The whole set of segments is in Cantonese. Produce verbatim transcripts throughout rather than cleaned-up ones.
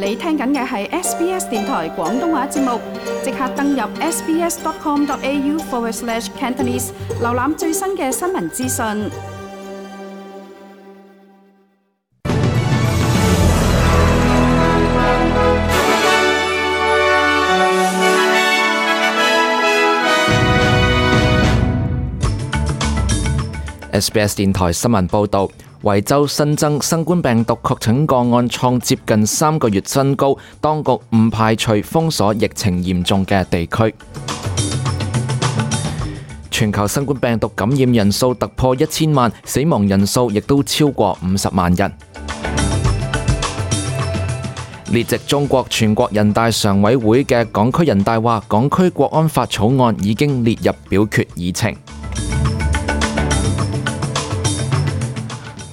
你聽緊嘅係 S B S 電台廣東話節目，即刻登入 sbs.com.au forward slash Cantonese， 瀏覽最新嘅新聞資訊。S B S 電台新聞報導，維州新增新冠病毒確診個案創接近三個月新高，當局唔排除封鎖疫情嚴重嘅地區。全球新冠病毒感染人數突破一千萬，死亡人數亦都超過五十萬人。列席中國全國人大常委會嘅港區人大話，港區國安法草案已經列入表決議程。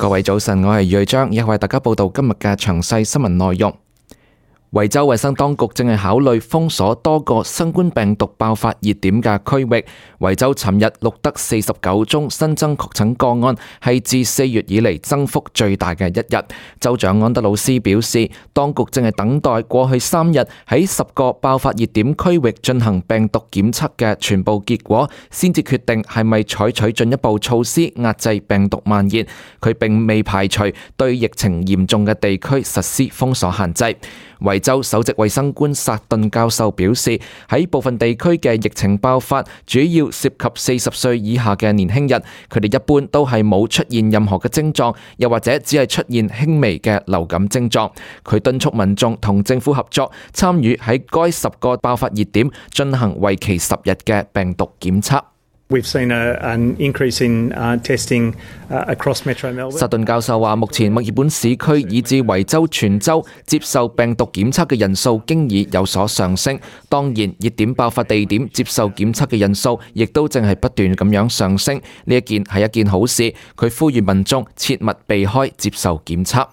各位早晨，我係瑞章，亦為大家報道今日嘅詳細新聞內容。維州衛生當局正係考慮封鎖多個新冠病毒爆發熱點嘅區域。維州尋日錄得四十九宗新增確診個案，係自四月以嚟增幅最大嘅一日。州長安德魯斯表示，當局正係等待過去三日喺十個爆發熱點區域進行病毒檢測嘅全部結果，先至決定係咪採取進一步措施壓制病毒蔓延。佢並未排除對疫情嚴重嘅地區實施封鎖限制。維州首席衛生官薩頓教授表示，喺部分地區嘅疫情爆發主要涉及四十歲以下嘅年輕人，佢哋一般都係冇出現任何嘅症狀，又或者只係出現輕微嘅流感症狀。佢敦促民眾同政府合作，參與喺該十個爆發熱點進行為期十日嘅病毒檢測。We've seen a, an increase in uh, testing uh, across Metro Melbourne. 薩頓教授話，目前墨爾本市區以至維州全州接受病毒檢測嘅人數經已有所上升。當然，熱點爆發地點接受檢測嘅人數亦都正係不斷咁樣上升。呢一件係一件好事。佢呼籲民眾切勿避開接受檢測。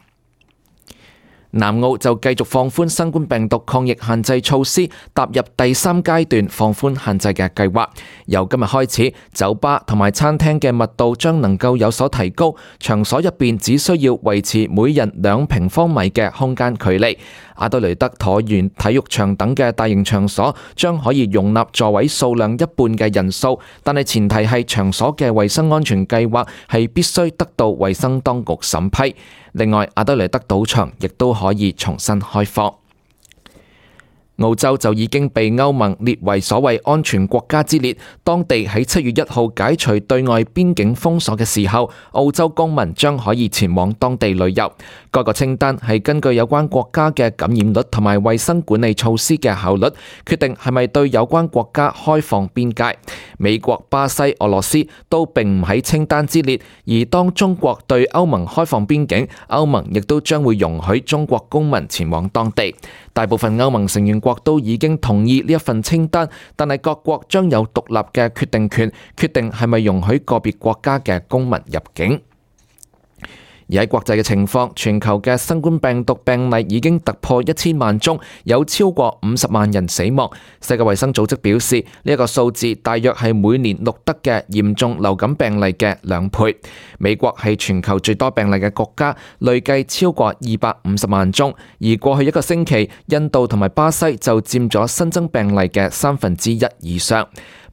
南澳就繼續放寬新冠病毒抗疫限制措施，踏入第三階段放寬限制嘅計劃。由今日開始，酒吧同埋餐廳嘅密度將能夠有所提高，場所入邊只需要維持每人兩平方米嘅空間距離。阿德雷德橢圓體育場等嘅大型場所將可以容納座位數量一半嘅人數，但係前提係場所嘅衛生安全計劃係必須得到衛生當局審批。另外，阿德雷德賭場亦都可以重新開放。澳洲就已經被歐盟列為所謂安全國家之列，當地喺七月一號解除對外邊境封鎖嘅時候，澳洲公民將可以前往當地旅遊。該個清單係根據有關國家嘅感染率同埋衛生管理措施嘅效率，決定係咪對有關國家開放邊界。美國、巴西、俄羅斯都並唔喺清單之列，而當中國對歐盟開放邊境，歐盟亦都將會容許中國公民前往當地。大部分歐盟成員國都已經同意呢一份清單，但係各國將有獨立嘅決定權，決定係咪容許個別國家嘅公民入境。而喺國際嘅情況，全球嘅新冠病毒病例已經突破一千萬宗，有超過五十萬人死亡。世界衛生組織表示，呢一個數字大約係每年錄得嘅嚴重流感病例嘅兩倍。美國係全球最多病例嘅國家，累計超過二百五十萬宗。而過去一個星期，印度同埋巴西就佔咗新增病例嘅三分之一以上。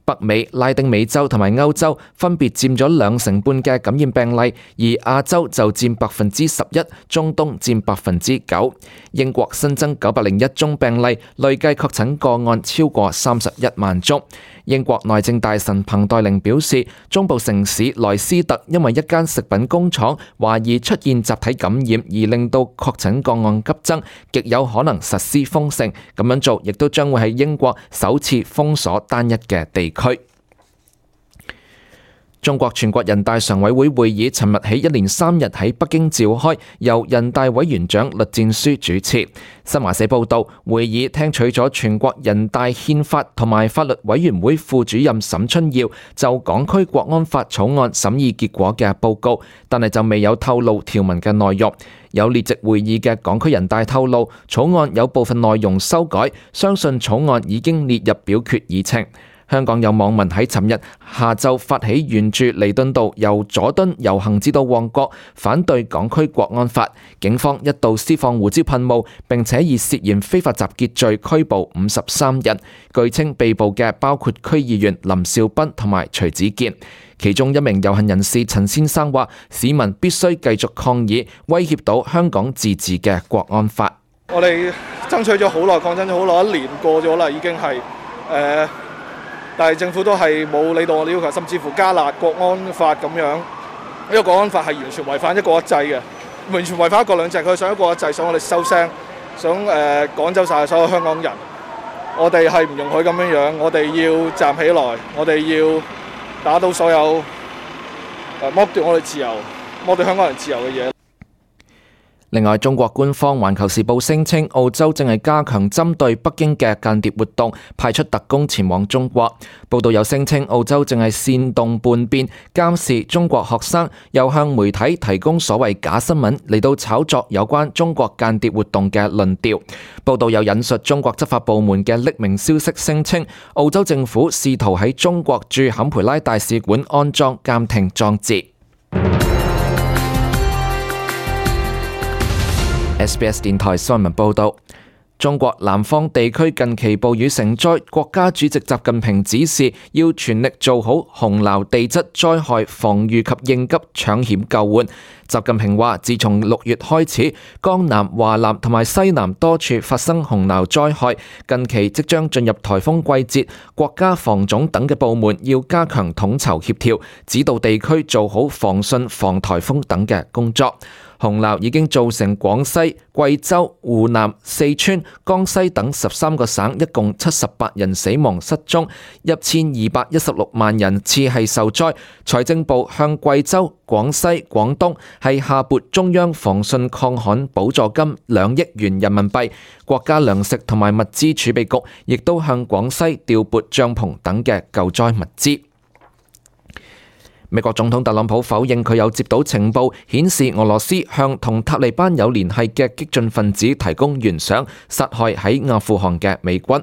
北美、拉丁美洲同埋歐洲分別佔咗兩成半嘅感染病例，而亞洲就佔百分之十一，中東佔百分之九。英國新增九百零一宗病例，累計確診個案超過三十一萬宗。英國內政大臣彭黛玲表示，中部城市萊斯特因為一間食品工廠懷疑出現集體感染而令到確診個案急增，極有可能實施封城。咁樣做亦都將會係英國首次封鎖單一嘅地區。中國全國人大常委會會議尋日起一連三日喺北京召開，由人大委員長栗戰書主持。新華社報道，會議聽取咗全國人大憲法同埋法律委員會副主任沈春耀就港區國安法草案審議結果嘅報告，但係就未有透露條文嘅內容。有列席會議嘅港區人大透露，草案有部分內容修改，相信草案已經列入表決議程。香港有網民喺尋日下晝發起沿住彌敦道由佐敦遊行至到旺角，反對港區國安法。警方一度施放胡椒噴霧，並且以涉嫌非法集結罪拘捕五十三人。據稱被捕嘅包括區議員林兆斌同埋徐子健。其中一名遊行人士陳先生話：市民必須繼續抗議，威脅到香港自治嘅國安法。我哋爭取咗好耐，抗爭咗好耐，一年過咗啦，已經係誒。呃但係政府都係冇理到我哋要求，甚至乎加辣國安法咁樣。呢個國安法係完全違反一國一制嘅，完全違反一國兩制。佢想一國一制，想我哋收聲，想誒、呃、趕走晒所有香港人。我哋係唔容許咁樣樣，我哋要站起來，我哋要打倒所有誒剝奪我哋自由、剝奪香港人自由嘅嘢。另外，中國官方《環球時報》聲稱，澳洲正係加強針對北京嘅間諜活動，派出特工前往中國。報道有聲稱，澳洲正係煽動叛變，監視中國學生，又向媒體提供所謂假新聞嚟到炒作有關中國間諜活動嘅論調。報道有引述中國執法部門嘅匿名消息，聲稱澳洲政府試圖喺中國駐坎培拉大使館安裝監聽裝置。S B S 電台新聞報道，中國南方地區近期暴雨成災，國家主席習近平指示要全力做好洪澇地質災害防禦及應急搶險救援。習近平話，自從六月開始，江南、華南同埋西南多處發生洪澇災害，近期即將進入颱風季節，國家防總等嘅部門要加強統籌協調，指導地區做好防汛、防颱風等嘅工作。洪澇已經造成廣西、貴州、湖南、四川、江西等十三個省一共七十八人死亡失蹤，一千二百一十六萬人次係受災。財政部向貴州、廣西、廣東係下撥中央防汛抗旱補助金兩億元人民幣，國家糧食同埋物資儲備局亦都向廣西調撥帳篷等嘅救災物資。美國總統特朗普否認佢有接到情報，顯示俄羅斯向同塔利班有聯繫嘅激進分子提供懸賞，殺害喺阿富汗嘅美軍。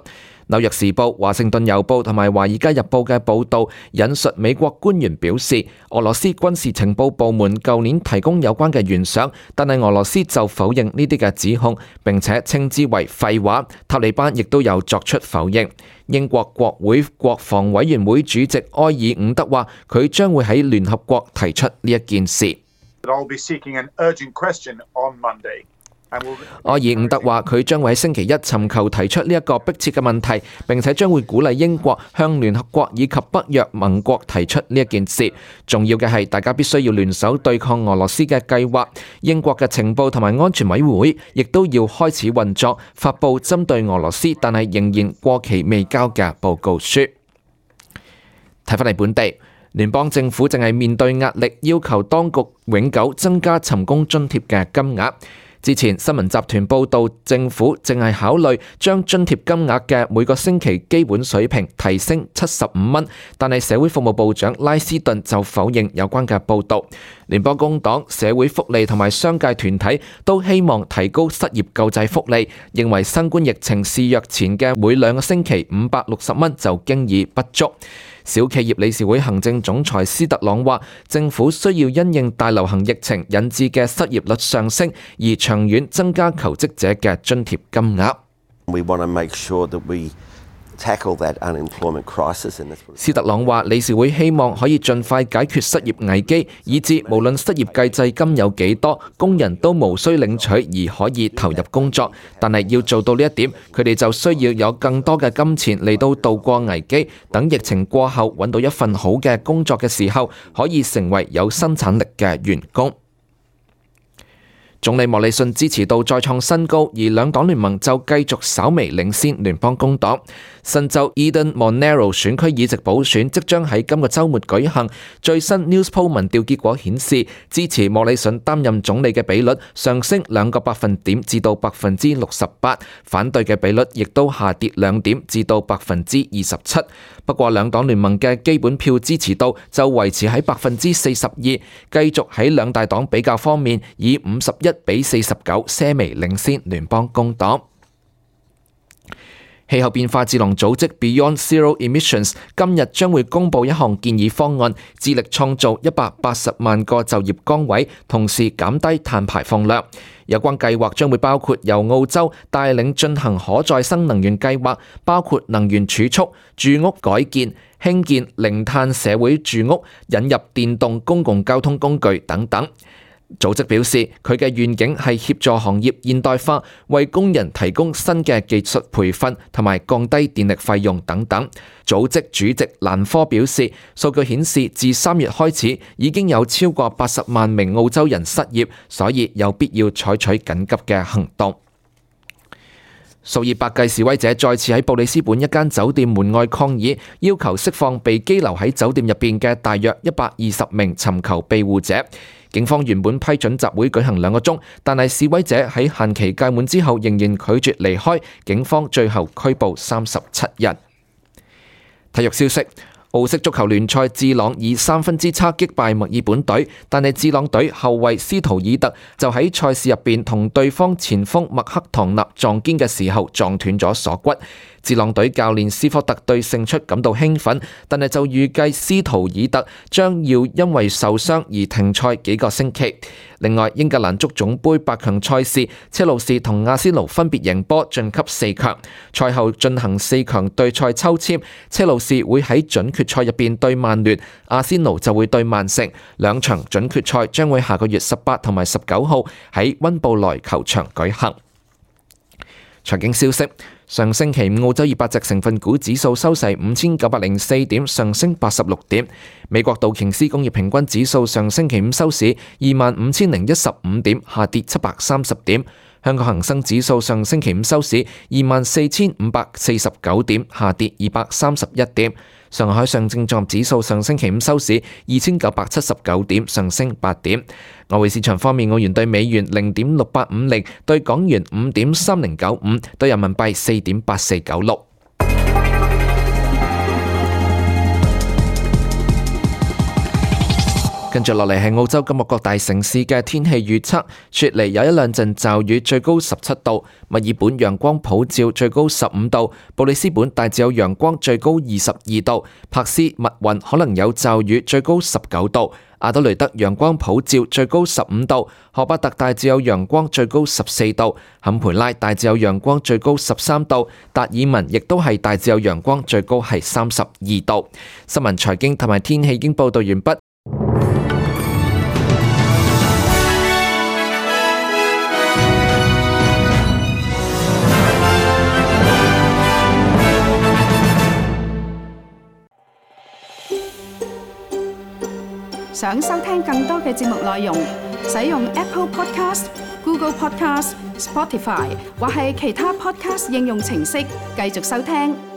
紐約時報、華盛頓郵報同埋華爾街日報嘅報導引述美國官員表示，俄羅斯軍事情報部門舊年提供有關嘅懸賞，但係俄羅斯就否認呢啲嘅指控，並且稱之為廢話。塔利班亦都有作出否認。英國國會國防委員會主席埃爾伍德話，佢將會喺聯合國提出呢一件事。埃爾伍德話，佢將會喺星期一尋求提出呢一個迫切嘅問題，並且將會鼓勵英國向聯合國以及北約盟國提出呢一件事。重要嘅係，大家必須要聯手對抗俄羅斯嘅計劃。英國嘅情報同埋安全委員會亦都要開始運作，發佈針對俄羅斯但係仍然過期未交嘅報告書。睇返嚟本地，聯邦政府正係面對壓力，要求當局永久增加尋工津貼嘅金額。之前新聞集團報道，政府正係考慮將津貼金額嘅每個星期基本水平提升七十五蚊，但係社會服務部長拉斯頓就否認有關嘅報導。聯邦工黨、社會福利同埋商界團體都希望提高失業救濟福利，認為新冠疫情肆虐前嘅每兩個星期五百六十蚊就經已不足。小企業理事會行政總裁斯特朗話，政府需要因應大流行疫情引致嘅失業率上升，而長遠增加求職者嘅津貼金額。We want to make sure that we tackle that unemployment crisis. 斯特朗話，理事會希望可以盡快解決失業危機，以致無論失業救濟金有幾多，工人都無需領取而可以投入工作。但係要做到呢一點，佢哋就需要有更多嘅金錢嚟到渡過危機，等疫情過後揾到一份好嘅工作嘅時候，可以成為有生產力嘅員工。總理莫里遜支持度再創新高，而兩黨聯盟就繼續稍微領先聯邦工黨。新州 Eden Monaro 選區議席補選即將喺今個週末舉行。最新 Newspoll 民調結果顯示，支持莫里遜擔任總理嘅比率上升兩個百分點至到百分之六十八，反對嘅比率亦都下跌兩點至到百分之二十七。不過兩黨聯盟嘅基本票支持度就維持喺百分之四十二，繼續喺兩大黨比較方面以五十一比四十九些微領先聯邦工黨。氣候變化智囊組織 Beyond Zero Emissions 今日將會公布一項建議方案，致力創造一百八十萬個就業崗位，同時減低碳排放量。有關計劃將會包括由澳洲帶領進行可再生能源計劃，包括能源儲蓄、住屋改建、興建零碳社會住屋、引入電動公共交通工具等等。組織表示，佢嘅願景係協助行業現代化，為工人提供新嘅技術培訓同埋降低電力費用等等。組織主席蘭科表示，數據顯示自三月開始已經有超過八十萬名澳洲人失業，所以有必要採取緊急嘅行動。數以百計示威者再次喺布里斯本一間酒店門外抗議，要求釋放被羈留喺酒店入邊嘅大約一百二十名尋求庇護者。警方原本批准集會舉行兩個鐘，但係示威者喺限期屆滿之後仍然拒絕離開，警方最後拘捕三十七人。體育消息：澳式足球聯賽，智朗以三分之差擊敗墨爾本隊，但係智朗隊後衛斯圖爾特就喺賽事入邊同對方前鋒麥克唐納撞肩嘅時候撞斷咗鎖骨。智朗隊教練斯科特對勝出感到興奮，但係就預計斯圖爾特將要因為受傷而停賽幾個星期。另外，英格蘭足總杯八強賽事，車路士同阿仙奴分別贏波晉級四強。賽後進行四強對賽抽籤，車路士會喺準決賽入邊對曼聯，阿仙奴就會對曼城。兩場準決賽將會下個月十八同埋十九號喺溫布萊球場舉行。財經消息：上星期五澳洲二百隻成分股指數收市五千九百零四點，上升八十六點。美國道瓊斯工業平均指數上星期五收市二萬五千零一十五點，下跌七百三十點。香港恒生指數上星期五收市二萬四千五百四十九點，下跌二百三十一點。上海上證綜合指數上星期五收市二千九百七十九點，上升八點。外匯市場方面，澳元對美元零點六八五零，對港元五點三零九五，對人民幣四點八四九六。跟住落嚟係澳洲今日各大城市嘅天氣預測。雪梨有一兩陣驟雨，最高十七度；墨爾本陽光普照，最高十五度；布里斯本大致有陽光，最高二十二度；柏斯密雲可能有驟雨，最高十九度；阿德雷德陽光普照，最高十五度；荷巴特大致有陽光，最高十四度；坎培拉大致有陽光，最高十三度；達爾文亦都係大致有陽光，最高係三十二度。新聞、財經同埋天氣已經報道完畢。想收聽更多嘅節目內容，使用 Apple Podcast、Google Podcast、Spotify 或係其他 Podcast 應用程式繼續收聽。